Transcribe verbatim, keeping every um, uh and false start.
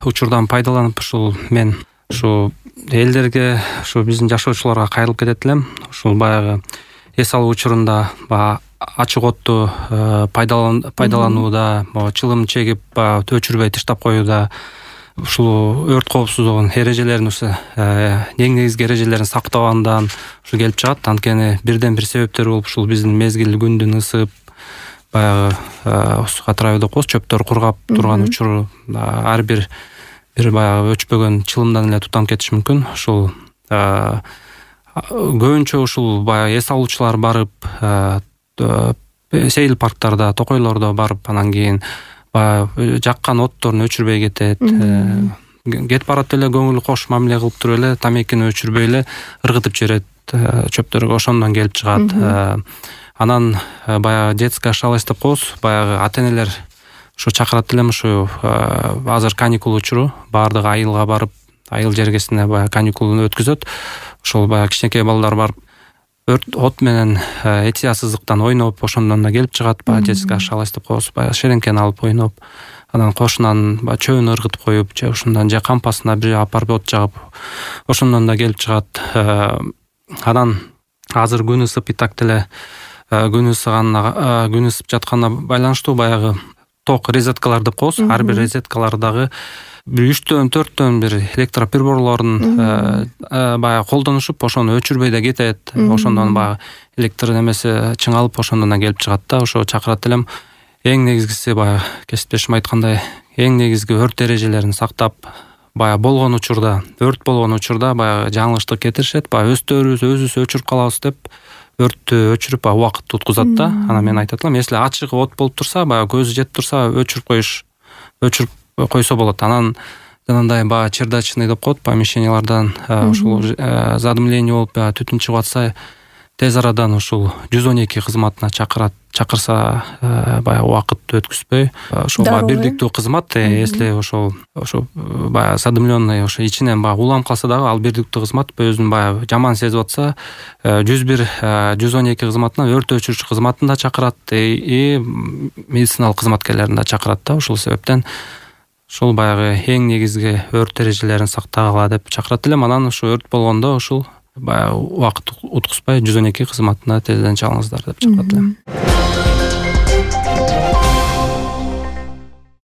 учурдан пайдаланып ушул мен ушу элдерге, ушу биздин жашоочуларга кайрылып кетет элем. Ушул баягы эс алуу учурунда баягы ачык отту пайдаланууда, чылым чегип өчүрбөй таштап коюуда, ушул өрт коопсуздугунун эрежелерин, ушу эң негизги эрежелерин сактагандан ушу келип чыгат. Анткени бирден бир себептери болуп ушул биздин мезгил күндүн ысып, баягы катырабы деп коебуз, чөптөр кургап турган учуру ар бир бир баягы өчпөгөн чылымдан эле тутанып кетиши мүмкүн. Ушул көбүнчө ушул баягы эс алуучулар барып сейил парктарда, токойлордо барып, анан кийин баягы жаккан отторун өчүрбөй кетет. Кетип барат эле көңүл кош мамиле кылып туруп эле тамекини өчүрбөй эле ыргытып жиберет чөптөргө, ошондон келип чыгат. Анан баягы детская шалость деп коебуз, баягы ата-энелер ушу чакырат элем, ушу азыр каникул учуру, баардыгы айылга барып, айыл жергесине баягы каникулун өткөзөт. Ошол баягы кичинекей балдар барып өрт от менен этиясыздыктан ойноп, ошондон да келип чыгат. Баягы детская шалость деп коебуз, баягы шеренгени алып ойноп, анан кошунан баягы чөбүн ыргытып коюп, же ошондон же кампасына бир апарып от жагып, ошондон да келип чыгат. Анан азыр күн ысып, и так деле күн ысыганына, күн ысып жатканына байланыштуу баягы ток резеткалар деп коебуз. Ар бир резеткалардагы бир үчтөн төрттөн бир электроприборлорун баягы колдонушуп, ошону өчүрбөй да кетет. Ошондон баягы электр немеси чыңалып, ошондон да келип чыгат да. Ошо чакырат элем. Эң негизгиси баягы кесиптешим айткандай, эң негизги өрт эрежелерин сактап, баягы болгон учурда, өрт болгон учурда баягы жаңылыштык кетиришет. Баягы өздөрүбүз өзүбүз өчүрүп калабыз деп өрттү өчүрүп убакытты уткузат да. Анан мен айтат элем, если ачык от болуп турса, баягы көзү жетип турса, өчүрүп коюш, өчүрүп койсо болот. Анан жанагындай баягы чердачный деп коет, помещениялардан ушул задымление болуп түтүн чыгып атса, тез арадан ушул жүз он эки кызматына чакырат, чакырса баягы убакытты өткүзбөй, ошол баягы бирдиктүү кызмат. Если ошол ошо баягы задымленный, ошо ичинен баягы улам калса дагы, ал бирдиктүү кызмат өзүн баягы жаман сезип атса, жүз бир жүз он эки кызматына, өрт өчүрүүчү кызматын да чакырат и медициналык кызматкерлерин да чакырат да. Ушул себептен ушул баягы эң негизги өрт эрежелерин сактагыла деп чакырат элем. Анан ушу өрт болгондо ушул баягы убакыт уткузбай жүз он эки кызматына тезден чалыңыздар деп чакырат элем.